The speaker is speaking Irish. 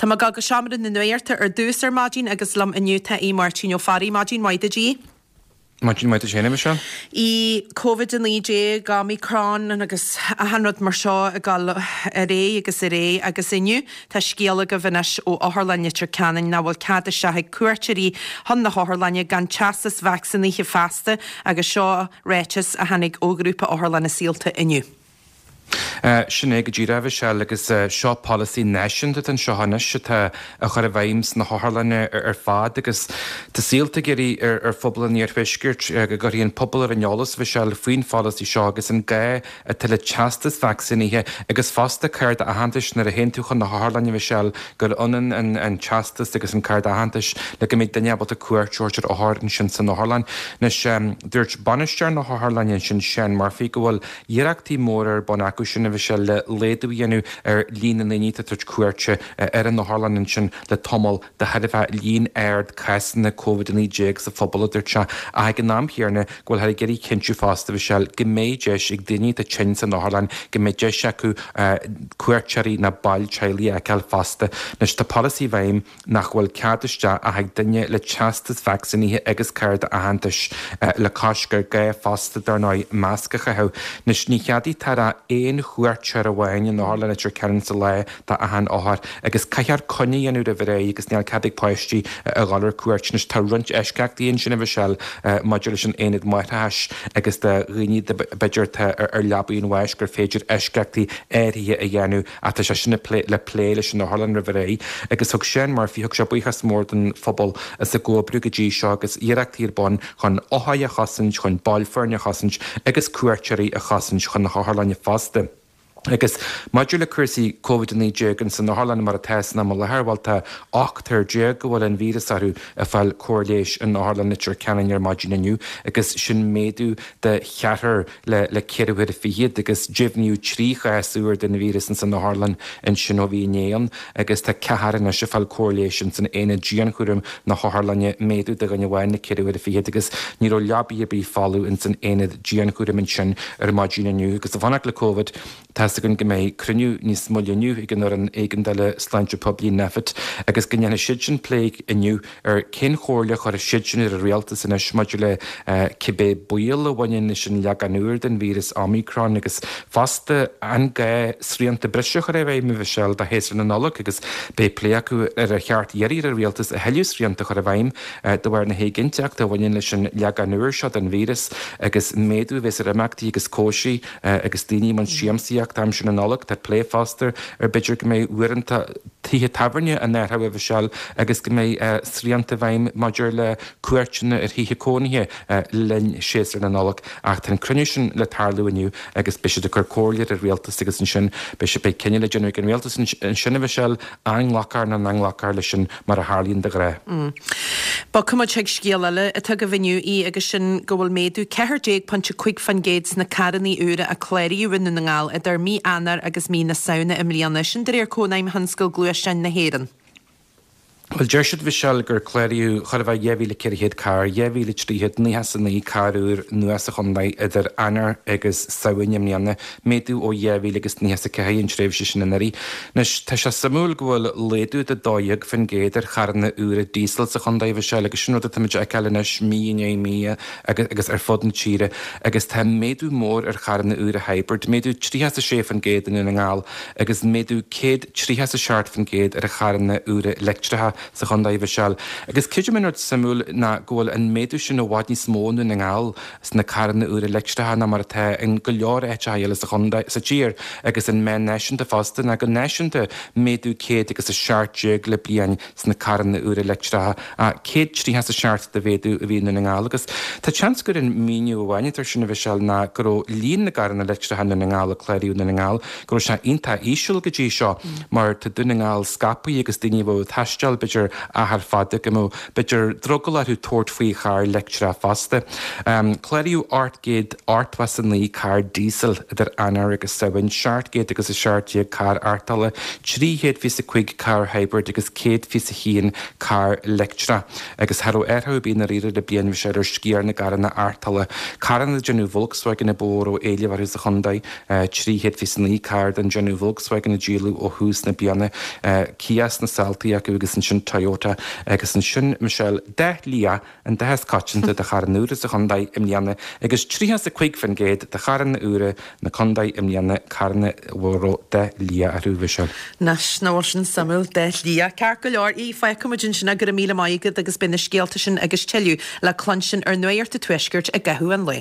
Tá mé ag dul go seomra na nuachta ar dtús ar maidin agus liom inniu tá Aodh Máirtín Ó Fearraigh. Maidin mhaith duit, Aodh. Maidin mhaith duit féin, a Mhichelle. Aodh, Covid-19, Omicron agus achan rud mar seo ag dul ar aghaidh agus ar aghaidh agus inniu tá scéal agaibh anois ó Otharlann Leitir Ceanainn nach bhfuil cead isteach ag cuairteoirí chun na hotharlainne gan teastas vacsaínithe feasta agus seo ráiteas a tháinig ó Ghrúpa Otharlanna Saolta inniu. Sin é go díreach, a Mhichelle, agus seo polasaí náisiúnta atá anseo anois atá á chur i bhfeidhm sna hotharlanna ar fad agus tá Saolta ag iarraidh ar phobal an iarthuaiscirt go gcuirfí an pobal ar an eolas, a Mhichelle, faoin pholasaí seo agus an gá atá le teastas vacsaínithe agus fosta cárta aitheantais nuair a théann tú chun na hotharlainne, a Mhichelle, gur ionann an teastas agus an cárta aitheantais le go mbeidh duine ábalta cuairt a thabhairt ar othar ansin san otharlann. Anois, dúirt bainisteoir na hotharlainne ansin, Seán Murphy, go bhfuil Iarrachtaí móra ar bun acu sin, a Mhichelle, le laghdú a dhéanamh ar líon na ndaoine atá ag tabhairt cuairte ar an otharlann ansin le tamall de thairbhe líon ard cásanna Covid-19 sa phobal, a dúirt sé, ach ag an am chéanna go bhfuilthear ag iarraidh cinntiú fosta, a Mhichelle, go mbeidh deis ag daoine atá tinn san otharlann, go mbeidh deis acu cuairteoirí nó baill teaghlaigh a fheiceáil fosta. Anois tá polasaí i bhfeidhm. nach bhfuil cead isteach ach ag duine le teastas vacsaínithe agus cárta aitheantais, le cois gur gá fosta, dar ndóigh, masc a chaitheamh. Anois, ní cheadaítear ach aon chuairteoir amháin in Otharlann Leitir Ceanainn sa lá do achan othar agus caithfear coinne a dhéanamh roimh ré agus níl cead ag páistí a dhul ar cuairt. Anois, tá roinnt eisceachtaí ansin, a Mhichelle, maidir leis an aonad máithreachais agus do dhaoine b'fhéidir atá ar leabaidh an bháis gur féidir eisceachtaí áirithe a dhéanamh. Ach tá sé sin le plé leis an otharlann roimh ré agus thug Seán Murphy, thug sé buíochas mór don phobal as a gcomhoibriú go dtí seo agus iarrachtaí ar bun chun othair a chosaint, chun baill foirne a chosaint agus cuairteoirí a chosaint chun na hotharlainne fosta. Agus maidir le cúrsaí Covid-19 ins an otharlann mar atá san am i láthair, bhuel tá ochtar déag go bhfuil an víreas orthu ag fáil cóir leighis in Otharlann Leitir Ceanainn ar maidin inniu agus sin méadú de cheathrar le le ceithre huaire fichead agus deimhníodh 3 chás úr den víreas ins an otharlann ansin ó bhí inné ann agus tá ceathrar anois ag fáil cóir leighis ins an aonad dianchúraim na hotharlainne, méadú de dhuine amháin le ceithre huaire fichead agus ní raibh leabaidh ar bith folamh ins an aonad dianchúraim ansin ar maidin inniu agus ag fanacht le Covid tá's againn go mbeidh cruinniú níos moille inniu ag an Fhoireann Éigeandála Sláinte Poiblí, Nphet, agus go ndéanfaidh siadsin plé inniu ar cén chomhairle a chuirfidh siadsin ar an rialtas anois maidir le cibé baol a bhaineann leis an leagán úr den víreas Omicron agus fosta an gá srianta breise a chur i bhfeidhm, a Mhichelle, do shéasúr na Nollag agus beidh plé acu ar ar cheart iarraidh ar an rialtas a thuilleadh srianta a chur i bhfeidhm de bharr na héiginnteachta a bhaineann leis an leagán úr seo den víreas agus méadú a bheas ar imeachtaí agus cóisirí agus daoine i mbun siamsaíochta aimsir na Nollag. Tá plé fosta ar b'fhéidir go mbeidh uaireanta tithe tábhairne á n-athrú, a Mhichelle, agus go mbeidh srianta i bhfeidhm maidir le cuairteanna ar thithe cónaithe le linn séasúr na Nollag. Ach tá an cruinniú sin le tarlú inniu agus beidh siad ag cur comhairle ar an rialtas agus ansin beidh beidh cinneadh le déanamh ag an rialtas ansin, a Mhichelle, an nglacfar nó nach nglacfar leis sin mar a tharlaíonn de ghnáth. Bogfaidh muid chuig scéal eile atá agaibh inniu, a Aoidh, agus sin go bhfuil méadú 14.5% sna carranna úra a cláraíodh i nDún na nGall idir mí Eanáir agus mí na Samhna i mbliana, sin de réir Cónaidhm Thionscal Gluaisteáin na hÉireann. Bhuel, deir siad, a Mhichelle, gur cláraíodh chóir a bheith 2,400 carr, 2,399 carr úr nua sa chontae idir Eanáir agus Samhain i mbliana, méadú ó 2,094 an tréimhse sin anuraidh. Anois, tá sé suimiúil go bhfuil laghdú de 12% ar charranna úra díosail sa chontae, a Mhichelle, agus sin rud atá muid a fheiceáil anois mí i ndiaidh mí agus ar fud na tíre, agus tá méadú mór ar charranna úra hybrid, méadú 36% i nDún na nGall agus méadú 137% ar charranna úra leictreacha sa chontae, a Mhichelle. Agus creidim an rud suimiúil ná go bhfuil an méadú sin i bhfad níos mó i nDún na nGall sna carranna úra leictreacha ná mar atá in go leor áiteacha eile sa chontae, sa tír agus an meán náisiúnta fosta ná go náisiúnta méadú 117 le bliain sna carranna úra leictreacha, 137 de mhéadú a bhí i nDún na nGall agus tá seans gur an míniú amháin atá air sin a Mhichelle ná go raibh líon na gcarranna leictreacha i nDún na nGall a cláraíodh i nDún na nGall go raibh sé iontach íseal go dtí seo mar tá Dún na nGall scaipthe agus daoine a bheadh ag taisteal b'fhéidir. b'fhéidir achar fada go mbeadh b'fhéidir drogall orthu tabhairt faoi charr leictreach fosta. Cláraíodh 889 carr díosail idir Eanáir agus Samhain, 717 carr arrtála, 325 carr hybrid agus 121 carr leictreach. Agus cha raibh athrú ar bith i ndáiríre le bliain Mhichelle ar sciar na gcarranna arrtála. Carranna de dhéanamh Volkswagen a ba mhó a raibh éileamh orthu sa chontae, 329 carr den déanamh Volkswagen a díoladh ó thús na bliana, Kia sna seoltaí acu agus ansin Toyota agus ansin, Michelle, dath liath an dath is coitianta do charranna úra sa chontae i mbliana agus 35% de charranna úra na contae i mbliana carranna a raibh dath liath orthu, Michelle. Anois, nach bhfuil sin suimiúil, dath liath. Ceart go leor, í, fágfaidh muid ansin é, go raibh míle maith agat agus beidh na scéalta sin agus tuilleadh le cluinstin ar Nuacht an Tuaiscirt i gcaitheamh an lae.